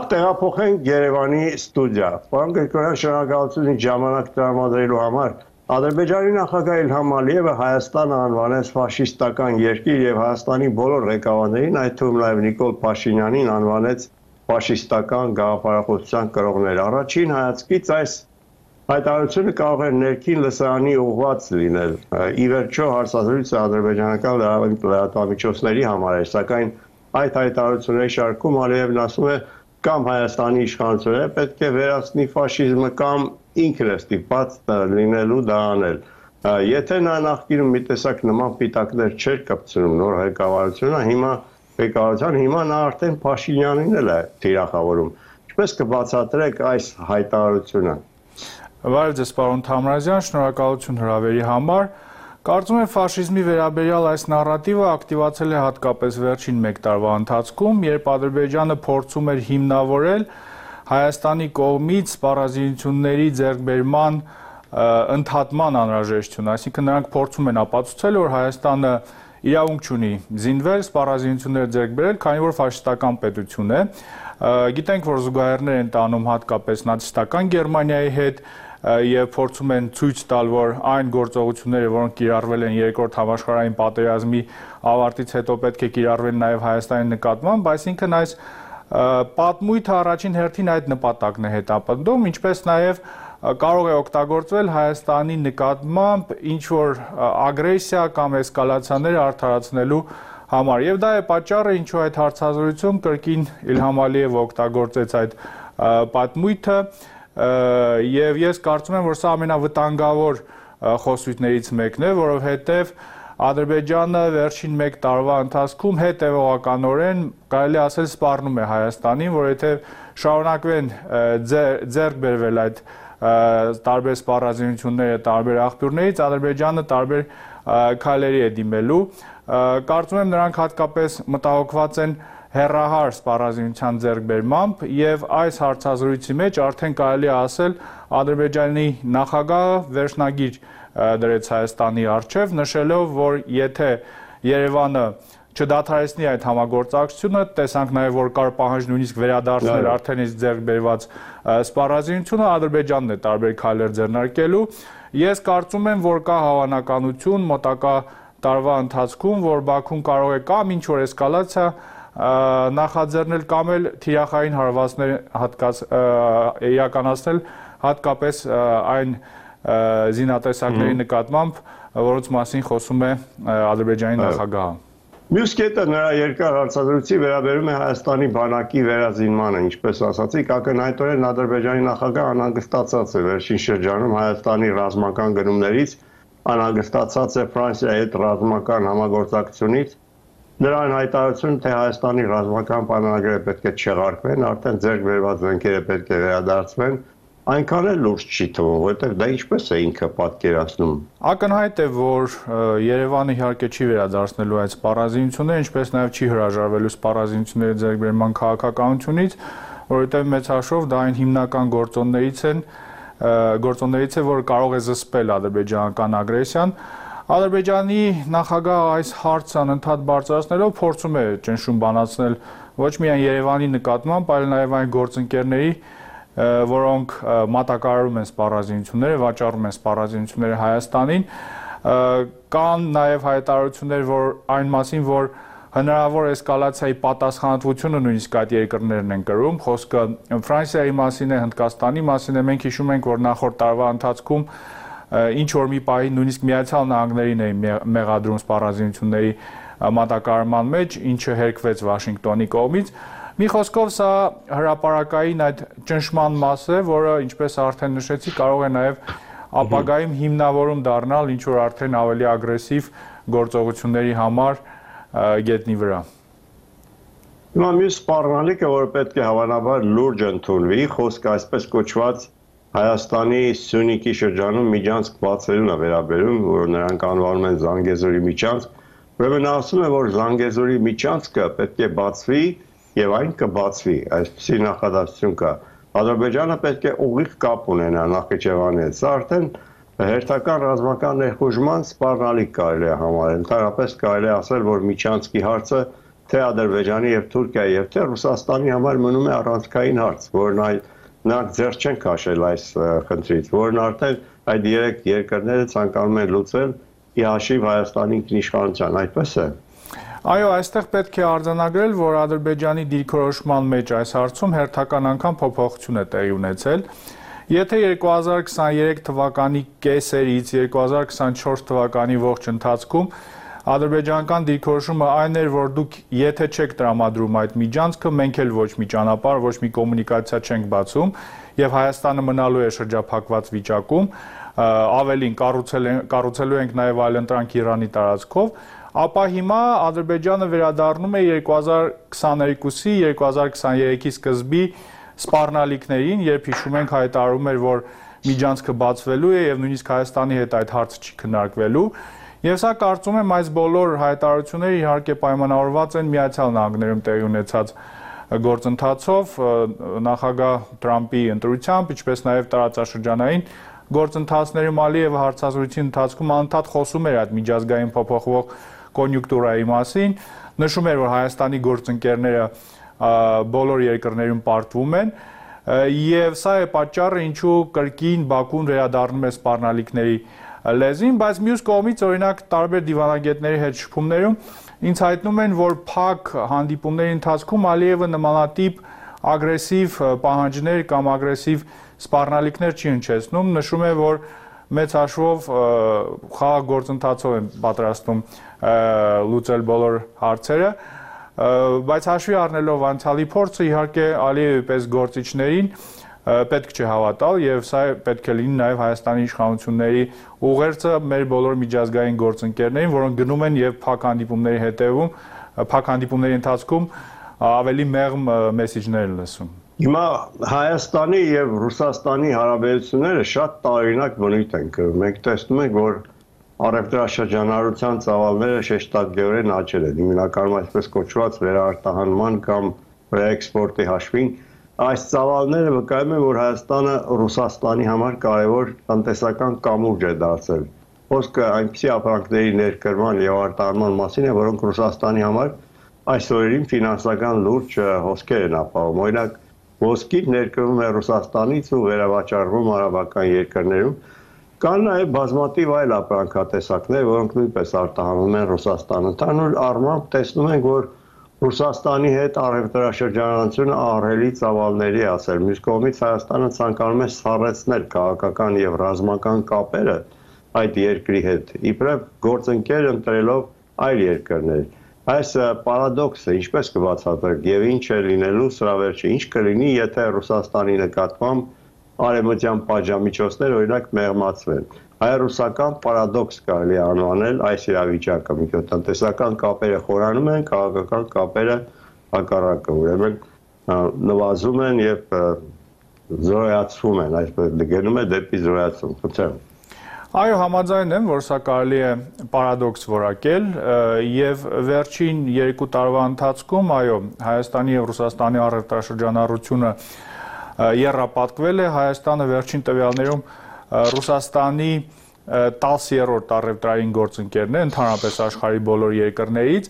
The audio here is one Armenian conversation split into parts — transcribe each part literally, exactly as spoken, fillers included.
Նախ տեղափոխենք Երևանի ստուդիա։ Պարոն Գրիգորյան, շնորհակալություն ինձ ժամանակ տրամադրելու համար։ Ադրբեջանի նախագահ Իլհամ Ալիևը Հայաստանը անվանեց ֆաշիստական երկիր եւ Հայաստանի բոլոր ղեկավարներին, այդ թվում նաեւ Նիկոլ Փաշինյանին անվանեց ֆաշիստական գաղափարախոսության կրողներ։ Առաջին հայացքից այս հայտարարությունը կարող է ներքին լսարանի ուղղված լինել։ Ի վերջո հարցազրույցը ադրբեջանական լրատվամիջոցների համար էր, սակայն այդ հայտարարությունների շարքում Ալիևն ասում է կամ Հայաստանի իշխանությունները պետք է վերացնի ֆաշիզմը կամ ինքն է ստիպված լինելու դա անել։ Եթե նա նախկինում մի տեսակ նման պիտակներ չէր կպցնում նոր ղեկավարությունը, հիմա ղեկավարության հիմա նա արդեն Փաշինյանին էլ է թիրախավորում։ Ինչպես կբացատրեք այս հայտարարությունը։ Բարև ձեզ, պարոն Թամրազյան, շնորհակալություն հրավերի համար։ Կարծում եմ ֆաշիզմի վերաբերյալ այս նարատիվը ակտիվացել է հատկապես վերջին մեկ տարվա ընթացքում, երբ Ադրբեջանը փորձում էր հիմնավորել Հայաստանի կողմից սպառազինությունների ձեռքբերման ընդհատման անհրաժեշտություն, այսինքն նրանք փորձում են ապացուցել, որ Հայաստանը իրավունք չունի զինվել, սպառազինություններ ձեռք բերել, քանի որ ֆաշիստական պետություն է։ Գիտենք, որ զուգահեռներ են տանում հատկապես նացիստական Գերմանիայի հետ եւ փորձում են ցույց տալ, որ այն գործողությունները, որոնք կիրառվել են երկրորդ համաշխարհային պատերազմի ավարտից հետո պետք է կիրառվեն նաեւ Հայաստանի նկատմամբ, այսինքն այս պատմույթը առաջին հերթին այդ նպատակն է հետապնդում, ինչպես նաեւ կարող է օգտագործվել Հայաստանի նկատմամբ ինչ որ ագրեսիա կամ էսկալացիաներ արդարացնելու համար։ Եվ դա է պատճառը, ինչու այդ հարցազրույցում կրկին Իլհամ Ալիևը օգտագործեց այդ պատմույթը, եւ ես կարծում եմ, որ սա ամենավտանգավոր խոսույթներից մեկն է, որովհետեւ Ադրբեջանը վերջին մեկ տարվա ընթացքում հետևողականորեն կարելի ասել սպառնում է Հայաստանին, որ եթե շարունակվեն ձեռք բերվել այդ տարբեր սպառազինությունները տարբեր աղբյուրներից, Ադրբեջանը տարբեր քայլերի է դիմելու։ Կարծում եմ նրանք հատկապես մտահոգված են հեռահար սպառազինության ձեռքբերմամբ եւ այս հարցազրույցի մեջ արդեն կարելի է ասել Ադրբեջանի նախագահը վերջնագիր դրեց Հայաստանի առջև, նշելով, որ եթե Երևանը չդադարեցնի այդ համագործակցությունը, տեսանք նաեւ, որ կար պահանջ նույնիսկ վերադարձնել արդեն իսկ ձեռք բերված սպառազինությունը, Ադրբեջանն է տարբեր քայլեր ձեռնարկելու։ Ես կարծում եմ, որ կա հավանականություն մոտակա տարվա ընթացքում, որ Բաքուն կարող է կամ ինչ որ էսկալացիա նախաձեռնել կամ էլ թիրախային հարվածներ հատկաց իրականացնել հատկապես այն զինատեսակների նկատմամբ, որոնց մասին խոսում է Ադրբեջանի նախագահը։ Մյուս կետը նրա երկար հարցազրույցի վերաբերում է Հայաստանի բանակի վերազինմանը, ինչպես ասացիք, ակնհայտորեն Ադրբեջանի նախագահը անհանգստացած է վերջին շրջանում Հայաստանի ռազմական գնումներից, անհանգստացած է Ֆրանսիայի հետ ռազմական համագործակցությունից։ Նրան հայտարարություն, թե Հայաստանի ռազմական պայմանագրերը պետք է չեղարկվեն, արդեն ձեռք բերված զենքերը պետք է վերադարձվեն, այնքան էլ լուրջ չի թվում, որովհետև դա ինչպես է ինքը պատկերացնում։ Ակնհայտ է, որ Երևանը իհարկե չի վերադարձնելու այդ սպառազինությունները, ինչպես նաև չի հրաժարվելու սպառազինությունների ձեռքբերման քաղաքականությունից, որովհետև մեծ հաշվով դա այն հիմնական գործոններից են, գործոններից է, որ կարող է զսպել ադրբեջանական ագրեսիան։ Ադրբեջանի նախագահը այս հարցը անընդհատ բարձրացնելով փորձում է ճնշում բանացնել ոչ միայն Երևանի նկատմամբ, այլ նաև այն գործընկերների, որոնք մատակարարում են սպառազինությունները, վաճառում են սպառազինությունները Հայաստանին, կան նաև հայտարարություններ, որ այն մասին, որ հնարավոր էսկալացիայի պատասխանատվությունը նույնիսկ այդ երկրներն են կրում, խոսքը Ֆրանսիայի մասին է, Հնդկաստանի մասին է, մենք հիշում ենք, որ նախորդ տարվա ընթացքում ինչ որ մի պահի նույնիսկ Միացյալ Նահանգներին էին մեղադրում սպառազինությունների մատակարարման մեջ, ինչը հերկվեց Վաշինգտոնի կողմից։ Մի խոսքով սա հրապարակային այդ ճնշման մաս է, որը, ինչպես արդեն նշեցի, կարող է նաև ապագայում հիմնավորում դառնալ ինչ որ արդեն ավելի ագրեսիվ գործողությունների համար գետնի վրա։ Հիմա մյուս սպառնալիքը, որ պետք է հավանաբար լուրջ ընդունվի, խոսքը այսպես կոչված Հայաստանի Սյունիքի շրջանում միջանցք բացելուն է վերաբերում, որ նրանք անվանում են Զանգեզուրի միջանցք, ուրեմն ասում է, որ Զանգեզուրի միջանցքը պետք է բացվի եւ այն կբացվի, այսպիսի նախադասություն կա։ Ադրբեջանը պետք է ուղիղ կապ ունենա Նախիջևանի հետ, սա արդեն հերթական ռազմական ներխուժման սպառնալիք կարելի է համարել, ընդհանրապես կարելի է ասել, որ միջանցքի հարցը թե Ադրբեջանի եւ Թուրքիայի եւ թե Ռուսաստանի համար մնում է առանցքային հարց, որն այ նրանք ձեռ չեն քաշել այս խնդրից, որն արդեն այդ երեք երկրները ցանկանում են լուծել ի հաշիվ Հայաստանի ինքնիշխանության, այդպես է։ Այո, այստեղ պետք է արձանագրել, որ Ադրբեջանի դիրքորոշման մեջ այս հարցում հերթական անգամ փոփոխություն է տեղի ունեցել։ Եթե երկու հազար քսաներեք թվականի կեսերից երկու հազար քսանչորս թվականի ողջ ընթացքում ադրբեջանական դիրքորոշումը այն էր, որ դուք եթե չեք տրամադրում այդ միջանցքը, մենք էլ ոչ մի ճանապարհ, ոչ մի կոմունիկացիա չենք բացում եւ Հայաստանը մնալու է շրջափակված վիճակում, ավելին կառուցելու ենք նաեւ այլընտրանք Իրանի տարածքով, ապա հիմա Ադրբեջանը վերադառնում է երկու հազար քսաներկուսի երկու հազար քսաներեքի սկզբի սպառնալիքներին, երբ հիշում ենք հայտարարում էր, որ միջանցքը բացվելու է եւ նույնիսկ Հայաստանի հետ այդ հարցը չի քննարկվելու։ Եվ սա կարծում եմ այս բոլոր հայտարարությունները իհարկե պայմանավորված են Միացյալ Նահանգներում տեղի ունեցած գործընթացով, նախագահ Թրամփի ընտրությամբ, ինչպես նաեւ տարածաշրջանային գործընթացներում Ալիևը հարցազրույցի ընթացքում անընդհատ խոսում էր այդ միջազգային փոփոխվող կոնյունկտուրայի մասին, նշում էր, որ Հայաստանի գործընկերները բոլոր երկրներում պարտվում են, եւ սա է պատճառը, ինչու կրկին Բաքուն վերադառնում է սպառնալիքների լեզին, բայց մյուս կողմից օրինակ տարբեր դիվանագետների հետ շփումներում ինձ հայտնում են, որ փակ հանդիպումների ընթացքում Ալիևը նմանատիպ ագրեսիվ պահանջներ կամ ագրեսիվ սպառնալիքներ չի հնչեցնում, նշում է, որ մեծ հաշվով խաղաղ գործընթացով են պատրաստում լուծել բոլոր հարցերը, բայց հաշվի առնելով անցյալի փորձը, իհարկե Ալիևի պես գործիչներին պետք չէ հավատալ եւ սա պետք է լինի նաեւ Հայաստանի իշխանությունների ուղերձը մեր բոլոր միջազգային գործընկերներին, որոնք գնում են եւ փակ հանդիպումների հետեւում, փակ հանդիպումների ընթացքում ավելի մեղմ մեսեջներ լսում։ Հիմա Հայաստանի եւ Ռուսաստանի հարաբերությունները շատ տարօրինակ բնույթ են կրում։ Մենք տեսնում ենք, որ առևտրաշրջանառության ծավալները շեշտադրորեն աճել են, հիմնականում այսպես կոչված վերարտահանման կամ ռեէքսպորտի հաշվին։ Այս ծավալները վկայում են, որ Հայաստանը Ռուսաստանի համար կարևոր տնտեսական կամուրջ է դարձել։ Խոսքը այնպիսի ապրանքների ներկրման եւ արտահանման մասին է, որոնք Ռուսաստանի համար այս օրերին ֆինանսական լուրջ հոսքեր են ապահովում։ Օրինակ, ոսկի ներկրվում է Ռուսաստանից ու վերավաճառվում արաբական երկրներում։ Կան նաև բազմաթիվ այլ ապրանքատեսակներ, որոնք նույնպես արտահանվում են Ռուսաստան։ Ընդհանուր առմամբ տեսնում ենք, որ Ռուսաստանի հետ առևտրաշրջանառությունը ահռելի ծավալների է ասել։ Մյուս կողմից Հայաստանը ցանկանում է սառեցնել քաղաքական եւ ռազմական կապերը այդ երկրի հետ, իբրև գործընկեր ընտրելով այլ երկրներ։ Այս պարադոքսը ինչպես կբացատրեք եւ ինչ է լինելու սրա վերջը, ինչ կլինի, եթե Ռուսաստանի նկատմամբ արևմտյան պատժամիջոցներ օրինակ մեղմացվեն։ Հայ-ռուսական պարադոքս կարելի է անվանել այս իրավիճակը, մի քիչ տնտեսական կապերը խորանում են, քաղաքական կապերը հակառակը, ուրեմն նվազում են եւ զորայացվում են, այսպես գնում է դեպի զորայացում։ Խնդրեմ։ Այո, համաձայն եմ, որ սա կարելի է պարադոքս որակել եւ վերջին երկու տարվա ընթացքում, այո, Հայաստանի եւ Ռուսաստանի առևտրաշրջանառությունը եռապատկվել է, Հայաստանը վերջին տվյալներում Ռուսաստանի տասներորդ առևտրային գործընկերն է, ընդհանրապես աշխարհի բոլոր երկրներից,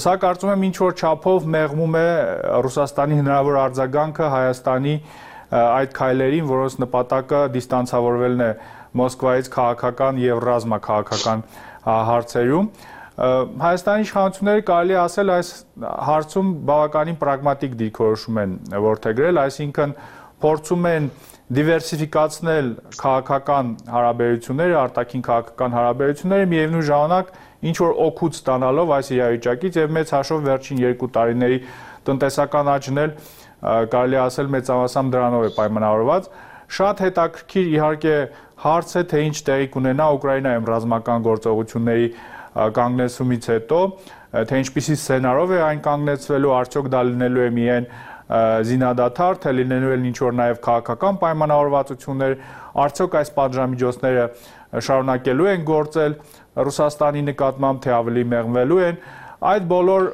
սա կարծում եմ ինչ-որ չափով մեղմում է Ռուսաստանի հնարավոր արձագանքը Հայաստանի այդ քայլերին, որոնց նպատակը դիստանցավորվելն է Մոսկվայից քաղաքական եւ ռազմաքաղաքական հարցերում։ Հայաստանի իշխանությունները կարելի ասել այս հարցում բավականին պրագմատիկ դիրքորոշում են որդեգրել, այսինքն փորձում են դիվերսիֆիկացնել քաղաքական հարաբերությունները, արտաքին քաղաքական հարաբերությունները, միևնույն ժամանակ ինչ որ օգուտ ստանալով այս իրավիճակից եւ մեծ հաշվով վերջին երկու տարիների տնտեսական աճն էլ կարելի ասել մեծամասամբ դրանով է պայմանավորված։ Շատ հետաքրքիր իհարկե հարց է, թե ինչ տեղի կունենա Ուկրաինայում ռազմական գործողությունների կանգնեցումից հետո, թե ինչպիսի սցենարով է այն կանգնեցվելու, արդյոք դա լինելու է միայն զինադադար, թե լինելու են ինչ-որ նաև քաղաքական պայմանավորվածություններ, արդյոք այս պատժամիջոցները շարունակելու են գործել Ռուսաստանի նկատմամբ, թե ավելի մեղմվելու են։ Այդ բոլոր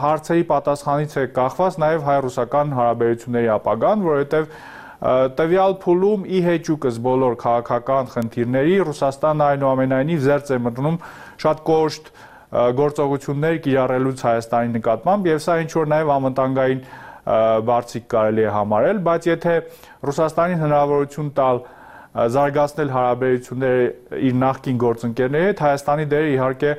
հարցերի պատասխանից է կախված նաև հայ-ռուսական հարաբերությունների ապագան, որովհետև տվյալ փուլում ի հեճուկս բոլոր քաղաքական խնդիրների Ռուսաստանը այնուամենայնիվ զերծ է մտնում շատ կոշտ գործողություններ կիրառելուց Հայաստանի նկատմամբ եւ սա ինչ որ նաեւ անվտանգային բարձիկ կարելի է համարել, բայց եթե Ռուսաստանին հնարավորություն տալ զարգացնել հարաբերությունները իր նախկին գործընկերների հետ, Հայաստանի դերը իհարկե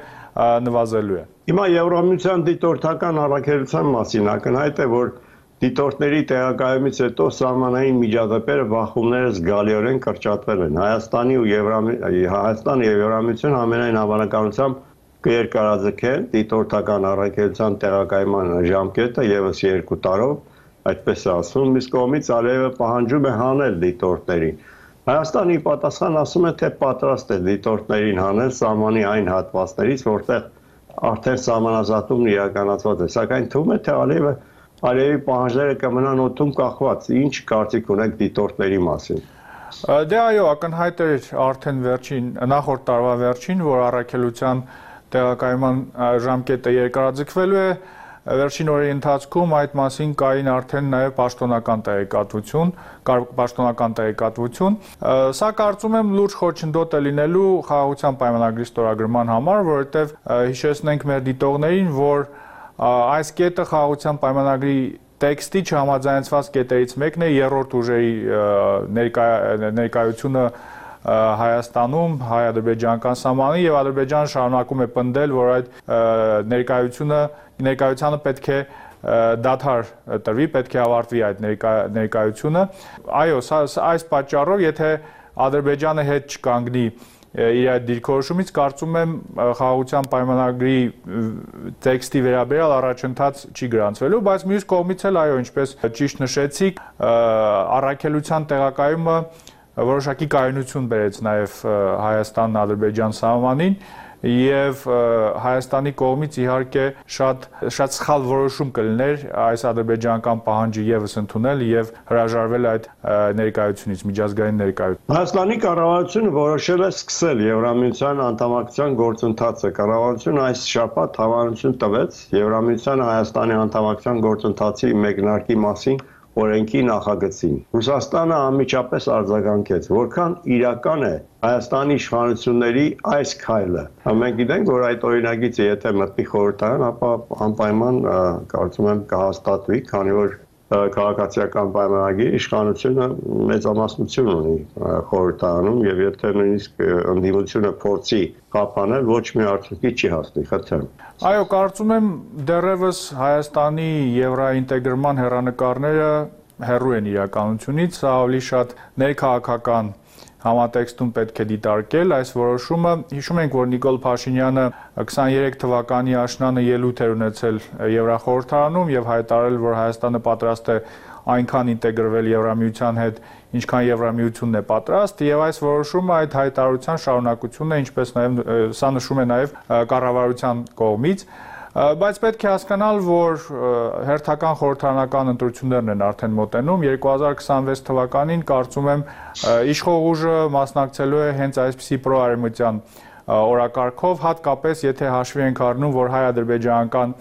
նվազելու է։ Հիմա Եվրամիության դիտորդական առաքելության մասին ակնհայտ է, որ դիտորդների տեղակայումից հետո սահմանային միջադեպերը բախումները զգալիորեն կրճատվել են։ Հայաստանի ու Հայաստանը եւ Եվրամիությունը ամենայն հավանականությամբ կերկարաձգեն դիտորդական առաքելության տեղակայման ժամկետը եւս երկու տարով, այդպես է ասում, իսկ կողմից Ալիևը պահանջում է հանել դիտորդներին։ Հայաստանի պատասխան ասում է, թե պատրաստ է դիտորդներին հանել սահմանի այն հատվածներից, որտեղ արդեն սահմանազատումն իրականացված է, սակայն թվում է, թե Ալիևը Ալիևի պահանջները կմնան օդում կախված։ Ինչ կարծիք ունեք դիտորդների մասին։ Դե այո, ակնհայտ էր արդեն վերջին նախորդ տարվա վերջին, որ առաքելության տեղակայման ժամկետը երկարաձգվելու է, վերջին օրերի ընթացքում այդ մասին կային արդեն նաև պաշտոնական տեղեկատվություն, պաշտոնական տեղեկատվություն։ Սա կարծում եմ լուրջ խոչընդոտ է լինելու խաղաղության պայմանագրի ստորագրման համար, որովհետև հիշեցնենք մեր դիտողներին, որ այս կետը խաղաղության պայմանագրի տեքստի չհամաձայնեցված կետերից մեկն է երրորդ ուժերի ներկայությունը Հայաստանում, հայ-ադրբեջանական սահմանի եւ Ադրբեջանը շարունակում է պնդել, որ այդ ներկայությունը ներկայությանը պետք է դադար տրվի, պետք է ավարտվի այդ ներկայությունը։ Այո, այս պատճառով, եթե Ադրբեջանը հետ չկանգնի իր այդ դիրքորոշումից, կարծում եմ խաղաղության պայմանագրի տեքստի վերաբերյալ առաջընթաց չի գրանցվելու, բայց մյուս կողմից էլ այո, ինչպես ճիշտ նշեցիք, առաքելության տեղակայումը որոշակի կայունություն բերեց նաև Հայաստան-Ադրբեջան սահմանին եւ Հայաստանի կողմից իհարկե շատ շատ սխալ որոշում կլիներ այս ադրբեջանական պահանջը եւս ընդունել եւ հրաժարվել այդ ներկայությունից, միջազգային ներկայություն։ Հայաստանի կառավարությունը որոշել է սկսել Եվրամիության անդամակցության գործընթացը։ Կառավարությունը այս շաբաթ հավանություն տվեց Եվրամիության Հայաստանի անդամակցության գործընթացի մեկնարկի մասին օրենքի նախագծին։ Ռուսաստանը անմիջապես արձագանքեց, որքան իրական է Հայաստանի իշխանությունների այս քայլը։ Մենք գիտենք, որ այդ օրինագիծը եթե մտնի խորհրդարան, ապա անպայման կարծում եմ կհաստատվի, քանի որ քաղաքացիական պայմանագրի իշխանությունը մեծամասնություն ունի խորհրդարանում եւ եթե նույնիսկ ընդդիմությունը փորձի խափանել, ոչ մի արդյունքի չի հասնի, խնդրեմ։ Այո, կարծում եմ դեռևս Հայաստանի եվրոինտեգրման հեռանկարները հեռու են իրականությունից, սա ավելի շատ ներքաղաքական համատեքստում պետք է դիտարկել այս որոշումը։ Հիշում ենք, որ Նիկոլ Փաշինյանը քսաներեք թվականի աշնանը ելույթ էր ունեցել Եվրախորհրդարանում եւ հայտարարել, որ Հայաստանը պատրաստ է այնքան ինտեգրվել Եվրամիության հետ, ինչքան Եվրամիությունն է պատրաստ, եւ այս որոշումը այդ հայտարարության շարունակությունն է, ինչպես նաեւ սա նշում է նաեւ կառավարության կողմից։ Բայց պետք է հասկանալ, որ հերթական խորհրդարանական ընտրություններն են արդեն մոտենում, երկու հազար քսանվեց թվականին կարծում եմ իշխող ուժը մասնակցելու է հենց այսպիսի պրոարևմտյան օրակարգով, հատկապես եթե հաշվի ենք առնում, որ հայ-ադրբեջանական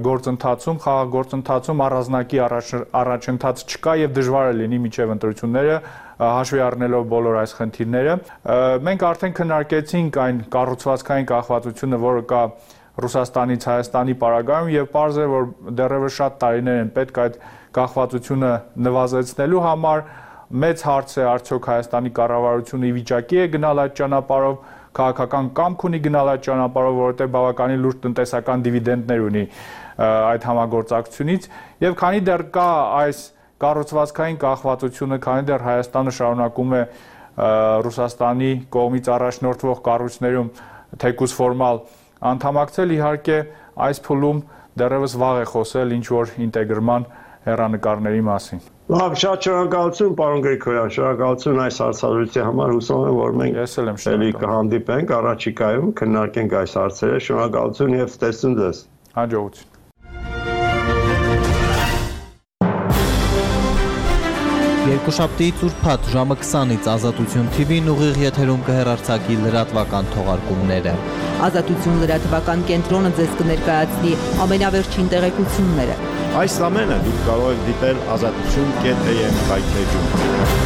գործընթացում, խաղաղ գործընթացում առանձնակի առաջընթաց չկա եւ դժվար է լինի մինչեւ ընտրությունները հաշվի առնելով բոլոր այս խնդիրները։ Մենք արդեն քննարկեցինք այն կառուցվածքային կախվածությունը, որը կա Ռուսաստանից Հայաստանի պարագայում եւ պարզ է, որ դեռևս շատ տարիներ են պետք այդ կախվածությունը նվազեցնելու համար։ Մեծ հարց է արդյոք Հայաստանի կառավարությունը ի վիճակի է գնալ այդ ճանապարհով, քաղաքական կամք ունի գնալ այդ ճանապարհով, որովհետեւ բավականին լուրջ տնտեսական դիվիդենդներ ունի այդ համագործակցությունից եւ քանի դեռ կա այս կառուցվածքային կախվածությունը, քանի դեռ Հայաստանը շարունակում է Ռուսաստանի կողմից առաջնորդվող կառույցներում թեկուզ ֆորմալ անդամակցել, իհարկե այս փուլում դեռևս վաղ է խոսել ինչ որ ինտեգրման հեռանկարների մասին։ Լավ, շատ շնորհակալություն, պարոն Գրիգորյան, շնորհակալություն այս հարցազրույցի համար, հուսով եմ, որ մենք Ես էլ եմ շնորհակալ կհանդիպենք առաջիկայում, քննարկենք այս հարցերը, շնորհակալություն եւ ստեսուն ձեզ։ Հաջողություն։ Երկուշաբթիից ուրբաթ ժամը քսանից Ազատություն թի վին ուղիղ եթերում կհեռարձակի լրատվական թողարկումները։ Ազատություն լրատվական կենտրոնը ձեզ կներկայացնի ամենավերջին տեղեկությունները։ Այս ամենը դուք կարող եք դիտել ազատություն կետ էյ էմ հայթեջում։